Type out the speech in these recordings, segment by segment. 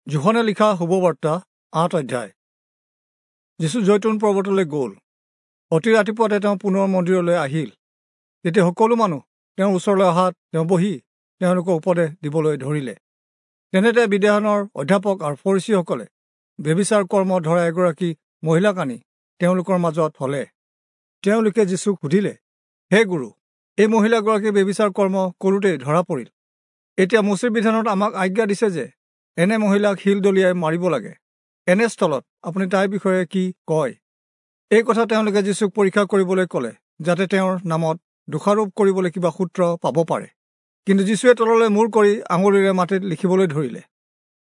যোহনে লিখা শুভবাৰ্তা ৮ অধ্যায়। যীচু জৈতুন পৰ্বতলৈ গ'ল। অতি ৰাতিপুৱাতে তেওঁ পুনৰ মন্দিৰলৈ আহিল। তেতিয়া সকলো মানুহ তেওঁৰ ওচৰলৈ অহাত তেওঁ বহি তেওঁলোকক উপদেশ দিবলৈ ধৰিলে। তেনেতে বিধানৰ অধ্যাপক আৰু ফৰীচীসকলে ব্যভিচাৰ কৰ্ম ধৰা এগৰাকী মহিলাক আনি তেওঁলোকৰ মাজত থলে। তেওঁলোকে যীচুক সুধিলে, হে গুৰু, এই মহিলাগৰাকী ব্যভিচাৰ কৰ্ম কৰোঁতেই ধৰা পৰিল। এতিয়া মোচিৰ বিধানত আমাক আজ্ঞা দিছে যে এনে মহিলাক শিল দলিয়াই মাৰিব লাগে। এনে স্থলত আপুনি তাইৰ বিষয়ে কি কয়? এই কথা তেওঁলোকে যীচুক পৰীক্ষা কৰিবলৈ ক'লে, যাতে তেওঁৰ নামত দোষাৰোপ কৰিবলৈ কিবা সূত্ৰ পাব পাৰে। কিন্তু যীচুৱে তললৈ মূৰ কৰি আঙুলিৰে মাটিত লিখিবলৈ ধৰিলে।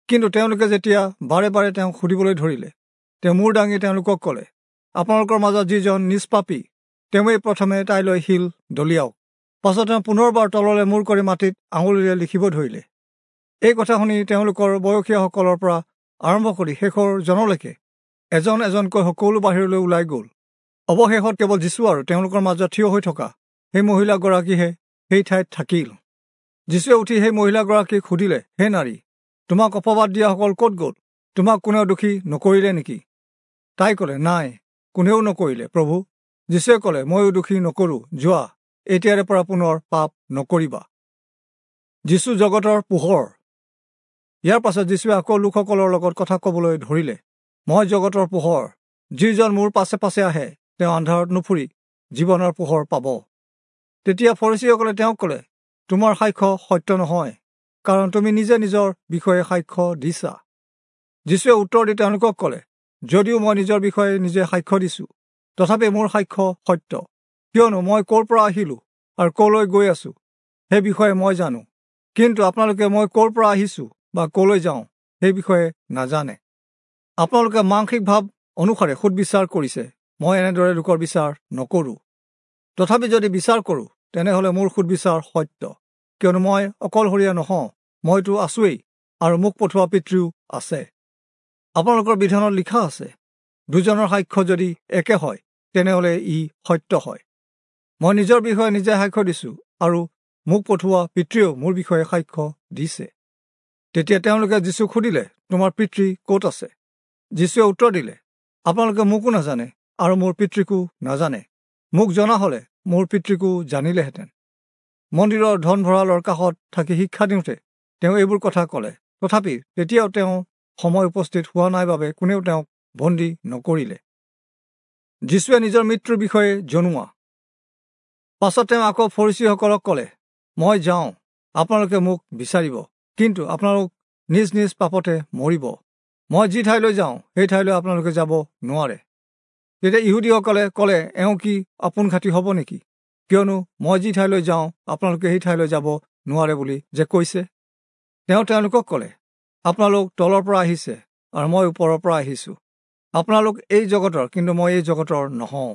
কিন্তু তেওঁলোকে যেতিয়া বাৰে বাৰে তেওঁক সুধিবলৈ ধৰিলে, তেওঁ মূৰ দাঙি তেওঁলোকক ক'লে, আপোনালোকৰ মাজত যিজন নিষ্পাপী, তেওঁৱেই প্ৰথমে তাইলৈ শিল দলিয়াওক। পাছত তেওঁ পুনৰবাৰ তললৈ মূৰ কৰি মাটিত আঙুলিৰে লিখিব ধৰিলে। এই কথা শুনি তেওঁলোকৰ বয়সীয়াসকলৰ পৰা আৰম্ভ কৰি শেষৰ জনলৈকে এজন এজনকৈ সকলো বাহিৰলৈ ওলাই গ'ল। অৱশেষত কেৱল যীচু আৰু তেওঁলোকৰ মাজত থিয় হৈ থকা সেই মহিলাগৰাকীহে সেই ঠাইত থাকিল। যীচুৱে উঠি সেই মহিলাগৰাকীক সুধিলে, হে নাৰী, তোমাক অপবাদ দিয়াসকল ক'ত গ'ল? তোমাক কোনেও দোষী নকৰিলে নেকি? তাই ক'লে, নাই, কোনেও নকৰিলে প্ৰভু। যীচুৱে ক'লে, ময়ো দোষী নকৰোঁ, যোৱা, এতিয়াৰে পৰা পুনৰ পাপ নকৰিবা। যীচু জগতৰ পোহৰ। ইয়াৰ পাছত যীচুৱে আকৌ লোকসকলৰ লগত কথা ক'বলৈ ধৰিলে, মই জগতৰ পোহৰ। যিজন মোৰ পাছে পাছে আহে, তেওঁ আন্ধাৰত নুফুৰি জীৱনৰ পোহৰ পাব। তেতিয়া ফৰীচীসকলে তেওঁক ক'লে, তোমাৰ সাক্ষ্য সত্য নহয়, কাৰণ তুমি নিজে নিজৰ বিষয়ে সাক্ষ্য দিছা। যীচুৱে উত্তৰ দি তেওঁলোকক ক'লে, যদিও মই নিজৰ বিষয়ে নিজে সাক্ষ্য দিছোঁ, তথাপি মোৰ সাক্ষ্য সত্য, কিয়নো মই ক'ৰ পৰা আহিলোঁ আৰু ক'লৈ গৈ আছোঁ সেই বিষয়ে মই জানো। কিন্তু আপোনালোকে মই ক'ৰ পৰা আহিছোঁ বা ক'লৈ যাওঁ সেই বিষয়ে নাজানে। আপোনালোকে মাংসিক ভাৱ অনুসাৰে সুদবিচাৰ কৰিছে, মই এনেদৰে লোকৰ বিচাৰ নকৰোঁ। তথাপি যদি বিচাৰ কৰোঁ, তেনেহ'লে মোৰ সুদবিচাৰ সত্য, কিয়নো মই অকলশৰীয়া নহওঁ, মইতো আছোৱেই আৰু মোক পঠোৱা পিতৃও আছে। আপোনালোকৰ বিধানত লিখা আছে, দুজনৰ সাক্ষ্য যদি একে হয়, তেনেহ'লে ই সত্য হয়। মই নিজৰ বিষয়ে নিজে সাক্ষ্য দিছোঁ আৰু মোক পঠোৱা পিতৃয়েও মোৰ বিষয়ে সাক্ষ্য দিছে। তেতিয়া তেওঁলোকে যীচুক সুধিলে, তোমাৰ পিতৃ ক'ত আছে? যীচুৱে উত্তৰ দিলে, আপোনালোকে মোকো নাজানে আৰু মোৰ পিতৃকো নাজানে। মোক জনা হ'লে মোৰ পিতৃকো জানিলেহেঁতেন। মন্দিৰৰ ধন ভঁৰালৰ কাষত থাকি শিক্ষা দিওঁতে তেওঁ এইবোৰ কথা ক'লে। তথাপি তেতিয়াও তেওঁ সময় উপস্থিত হোৱা নাই বাবে কোনেও তেওঁক বন্দী নকৰিলে। যীচুৱে নিজৰ মৃত্যুৰ বিষয়ে জনোৱা। পাছত তেওঁ আকৌ ফৰীচীসকলক ক'লে, মই যাওঁ, আপোনালোকে মোক বিচাৰিব, কিন্তু আপোনালোক নিজ নিজ পাপতে মৰিব। মই যি ঠাইলৈ যাওঁ, সেই ঠাইলৈ আপোনালোকে যাব নোৱাৰে। তেতিয়া ইহুদীসকলে ক'লে, এওঁ কি আপোনঘাতী হ'ব নেকি? কিয়নো মই যি ঠাইলৈ যাওঁ, আপোনালোকে সেই ঠাইলৈ যাব নোৱাৰে বুলি যে কৈছে। তেওঁ তেওঁলোকক ক'লে, আপোনালোক তলৰ পৰা আহিছে আৰু মই ওপৰৰ পৰা আহিছোঁ। আপোনালোক এই জগতৰ, কিন্তু মই এই জগতৰ নহওঁ।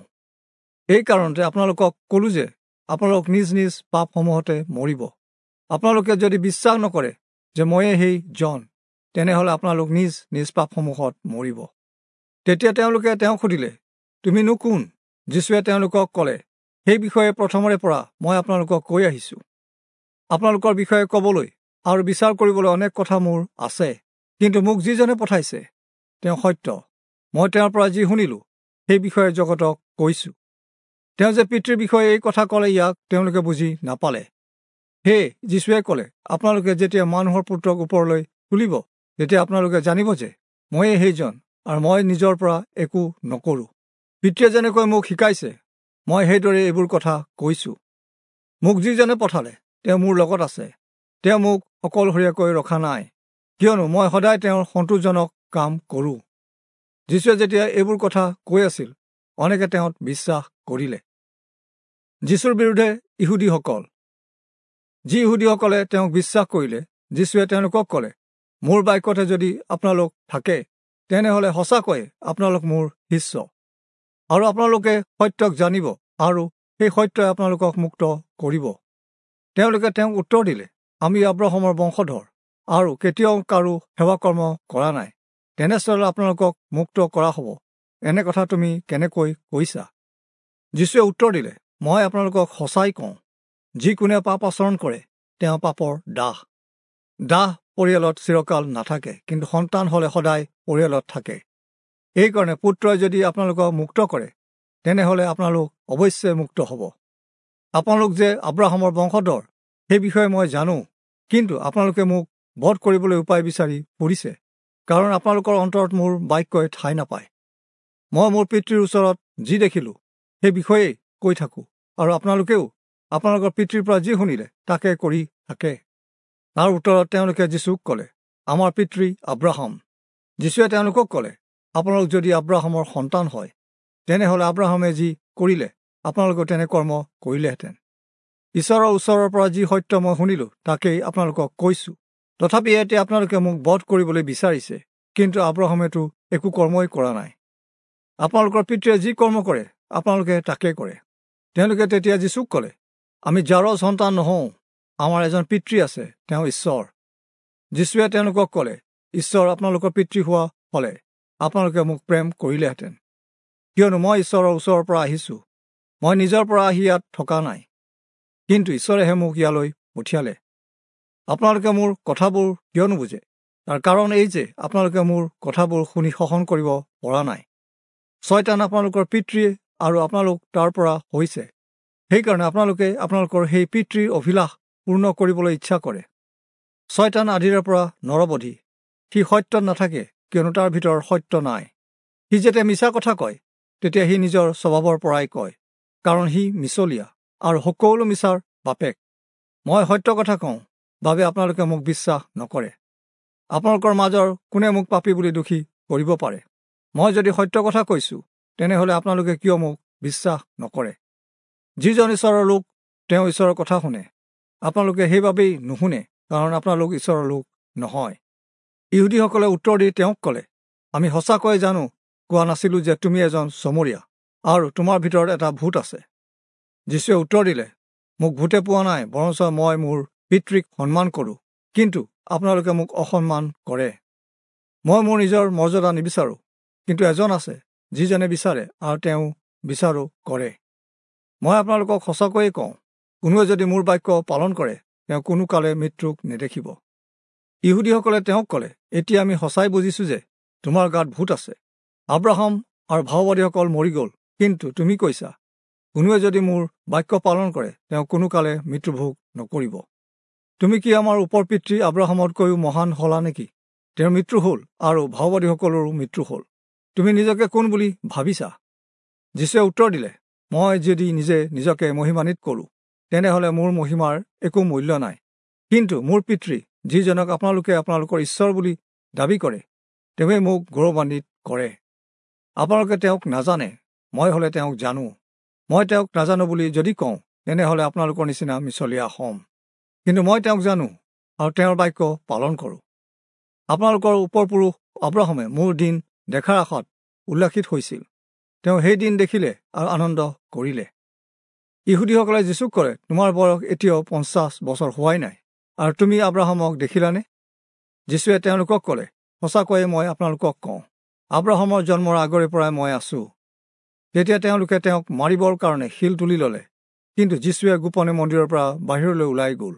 এই কাৰণতে আপোনালোকক ক'লো যে আপোনালোক নিজ নিজ পাপসমূহতে মৰিব। আপোনালোকে যদি বিশ্বাস নকৰে যে ময়ে সেই জন, তেনেহ'লে আপোনালোক নিজ নিজ পাপসমূহত মৰিব। তেতিয়া তেওঁলোকে তেওঁক সুধিলে, তুমিনো কোন? যীচুৱে তেওঁলোকক ক'লে, সেই বিষয়ে প্ৰথমৰে পৰা মই আপোনালোকক কৈ আহিছোঁ। আপোনালোকৰ বিষয়ে ক'বলৈ আৰু বিচাৰ কৰিবলৈ অনেক কথা মোৰ আছে, কিন্তু মোক যিজনে পঠাইছে তেওঁ সত্য। মই তেওঁৰ পৰা যি শুনিলোঁ, সেই বিষয়ে জগতক কৈছোঁ। তেওঁ যে পিতৃৰ বিষয়ে এই কথা ক'লে, ইয়াক তেওঁলোকে বুজি নাপালে। হে যীচুৱে ক'লে, আপোনালোকে যেতিয়া মানুহৰ পুত্ৰক ওপৰলৈ তুলিব, তেতিয়া আপোনালোকে জানিব যে ময়ে সেইজন আৰু মই নিজৰ পৰা একো নকৰোঁ। পিতৃয়ে যেনেকৈ মোক শিকাইছে, মই সেইদৰে এইবোৰ কথা কৈছোঁ। মোক যিজনে পঠালে, তেওঁ মোৰ লগত আছে। তেওঁ মোক অকলশৰীয়াকৈ ৰখা নাই, কিয়নো মই সদায় তেওঁৰ সন্তোষজনক কাম কৰোঁ। যীচুৱে যেতিয়া এইবোৰ কথা কৈ আছিল, অনেকে তেওঁত বিশ্বাস কৰিলে। যীচুৰ বিৰুদ্ধে ইহুদীসকল। যি ইহুদীসকলে তেওঁক বিশ্বাস কৰিলে, যীচুৱে তেওঁলোকক ক'লে, মোৰ বাক্যতে যদি আপোনালোক থাকে, তেনেহ'লে সঁচাকৈয়ে আপোনালোক মোৰ শিষ্য, আৰু আপোনালোকে সত্যক জানিব, আৰু সেই সত্যই আপোনালোকক মুক্ত কৰিব। তেওঁলোকে তেওঁক উত্তৰ দিলে, আমি আব্ৰাহামৰ বংশধৰ আৰু কেতিয়াও কাৰো সেৱাকৰ্ম কৰা নাই। তেনেস্থলত আপোনালোকক মুক্ত কৰা হ'ব, এনে কথা তুমি কেনেকৈ কৈছা? যীচুৱে উত্তৰ দিলে, মই আপোনালোকক সঁচাই কওঁ, যি কোনে পাপ আচৰণ কৰে, তেওঁ পাপৰ দাস। দাস পৰিয়ালত চিৰকাল নাথাকে, কিন্তু সন্তান হ'লে সদায় পৰিয়ালত থাকে। এইকাৰণে পুত্ৰই যদি আপোনালোকক মুক্ত কৰে, তেনেহ'লে আপোনালোক অৱশ্যে মুক্ত হ'ব। আপোনালোক যে আব্ৰাহামৰ বংশধৰ, সেই বিষয়ে মই জানো, কিন্তু আপোনালোকে মোক বধ কৰিবলৈ উপায় বিচাৰি ফুৰিছে, কাৰণ আপোনালোকৰ অন্তৰত মোৰ বাক্যই ঠাই নাপায়। মই মোৰ পিতৃৰ ওচৰত যি দেখিলোঁ সেই বিষয়েই কৈ থাকোঁ, আৰু আপোনালোকেও আপোনালোকৰ পিতৃৰ পৰা যি শুনিলে তাকে কৰি থাকে। তাৰ উত্তৰত তেওঁলোকে যীচুক ক'লে, আমাৰ পিতৃ আব্ৰাহাম। যীচুৱে তেওঁলোকক ক'লে, আপোনালোক যদি আব্ৰাহামৰ সন্তান হয়, তেনেহ'লে আব্ৰাহামে যি কৰিলে আপোনালোকেও তেনে কৰ্ম কৰিলেহেঁতেন। ঈশ্বৰৰ ওচৰৰ পৰা যি সত্য মই শুনিলোঁ তাকেই আপোনালোকক কৈছোঁ। তথাপি এতিয়া আপোনালোকে মোক বধ কৰিবলৈ বিচাৰিছে, কিন্তু আব্ৰাহামেতো একো কৰ্মই কৰা নাই। আপোনালোকৰ পিতৃয়ে যি কৰ্ম কৰে আপোনালোকে তাকে কৰে। তেওঁলোকে তেতিয়া যীচুক ক'লে, আমি জাৰজ সন্তান নহওঁ, আমাৰ এজন পিতৃ আছে, তেওঁ ঈশ্বৰ। যীচুৱে তেওঁলোকক ক'লে, ঈশ্বৰ আপোনালোকৰ পিতৃ হোৱা হ'লে আপোনালোকে মোক প্ৰেম কৰিলেহেঁতেন, কিয়নো মই ঈশ্বৰৰ ওচৰৰ পৰা আহিছোঁ। মই নিজৰ পৰা আহি ইয়াত থকা নাই, কিন্তু ঈশ্বৰেহে মোক ইয়ালৈ পঠিয়ালে। আপোনালোকে মোৰ কথাবোৰ কিয় নুবুজে? তাৰ কাৰণ এই যে আপোনালোকে মোৰ কথাবোৰ শুনি সহন কৰিব পৰা নাই। ছয়তান আপোনালোকৰ পিতৃ আৰু আপোনালোক তাৰ পৰা হৈছে, সেইকাৰণে আপোনালোকে আপোনালোকৰ সেই পিতৃৰ অভিলাষ পূৰ্ণ কৰিবলৈ ইচ্ছা কৰে। ছয়তান আদিৰে পৰা নৰবধি, সি সত্যত নাথাকে, কিয়নো তাৰ ভিতৰত সত্য নাই। সি যেতিয়া মিছা কথা কয়, তেতিয়া সি নিজৰ স্বভাৱৰ পৰাই কয়, কাৰণ সি মিছলীয়া আৰু সকলো মিছাৰ বাপেক। মই সত্য কথা কওঁ বাবে আপোনালোকে মোক বিশ্বাস নকৰে। আপোনালোকৰ মাজৰ কোনে মোক পাপী বুলি দোষী কৰিব পাৰে? মই যদি সত্য কথা কৈছোঁ, তেনেহ'লে আপোনালোকে কিয় মোক বিশ্বাস নকৰে? যিজন ঈশ্বৰৰ লোক, তেওঁ ঈশ্বৰৰ কথা শুনে। আপোনালোকে সেইবাবেই নুশুনে, কাৰণ আপোনালোক ঈশ্বৰৰ লোক নহয়। ইহুদীসকলে উত্তৰ দি তেওঁক ক'লে, আমি সঁচাকৈয়ে জানো কোৱা নাছিলোঁ যে তুমি এজন চমৰীয়া আৰু তোমাৰ ভিতৰত এটা ভূত আছে? যীচুৱে উত্তৰ দিলে, মোক ভূতে পোৱা নাই, বৰঞ্চ মই মোৰ পিতৃক সন্মান কৰোঁ, কিন্তু আপোনালোকে মোক অসন্মান কৰে। মই মোৰ নিজৰ মৰ্যাদা নিবিচাৰোঁ, কিন্তু এজন আছে যিজনে বিচাৰে আৰু তেওঁ বিচাৰো কৰে। মই আপোনালোকক সঁচাকৈয়ে কওঁ, কোনোৱে যদি মোৰ বাক্য পালন কৰে, তেওঁ কোনো কালে মৃত্যুক নেদেখিব। ইহুদীসকলে তেওঁক ক'লে, এতিয়া আমি সঁচাই বুজিছোঁ যে তোমাৰ গাত ভূত আছে। আব্ৰাহাম আৰু ভাওবাদীসকল মৰি গ'ল, কিন্তু তুমি কৈছা, কোনোৱে যদি মোৰ বাক্য পালন কৰে, তেওঁ কোনো কালে মৃত্যুভোগ নকৰিব। তুমি কি আমাৰ ওপৰ পিতৃ আব্ৰাহামতকৈও মহান হলা নেকি? তেওঁৰ মৃত্যু হ'ল আৰু ভাওবাদীসকলৰো মৃত্যু হ'ল। তুমি নিজকে কোন বুলি ভাবিছা? যীচুৱে উত্তৰ দিলে, মই যদি নিজে নিজকে মহিমান্বিত কৰোঁ, তেনেহ'লে মোৰ মহিমাৰ একো মূল্য নাই। কিন্তু মোৰ পিতৃ, যিজনক আপোনালোকে আপোনালোকৰ ঈশ্বৰ বুলি দাবী কৰে, তেওঁৱে মোক গৌৰৱান্বিত কৰে। আপোনালোকে তেওঁক নাজানে, মই হ'লে তেওঁক জানো। মই তেওঁক নাজানো বুলি যদি কওঁ, তেনেহ'লে আপোনালোকৰ নিচিনা মিছলীয়া হ'ম। কিন্তু মই তেওঁক জানো আৰু তেওঁৰ বাক্য পালন কৰোঁ। আপোনালোকৰ ওপৰপুৰুষ আব্ৰাহামে মোৰ দিন দেখাৰ আশাত উল্লাসিত হৈছিল। তেওঁ সেই দিন দেখিলে আৰু আনন্দ কৰিলে। ইহুদীসকলে যীচুক ক'লে, তোমাৰ বয়স এতিয়াও 50 বছৰ হোৱাই নাই, আৰু তুমি আব্ৰাহামক দেখিলানে? যীচুৱে তেওঁলোকক ক'লে, সঁচাকৈয়ে মই আপোনালোকক কওঁ, আব্ৰাহামৰ জন্মৰ আগৰে পৰাই মই আছোঁ। তেতিয়া তেওঁলোকে তেওঁক মাৰিবৰ কাৰণে শিল তুলি ল'লে, কিন্তু যীচুৱে গোপনে মন্দিৰৰ পৰা বাহিৰলৈ ওলাই গ'ল।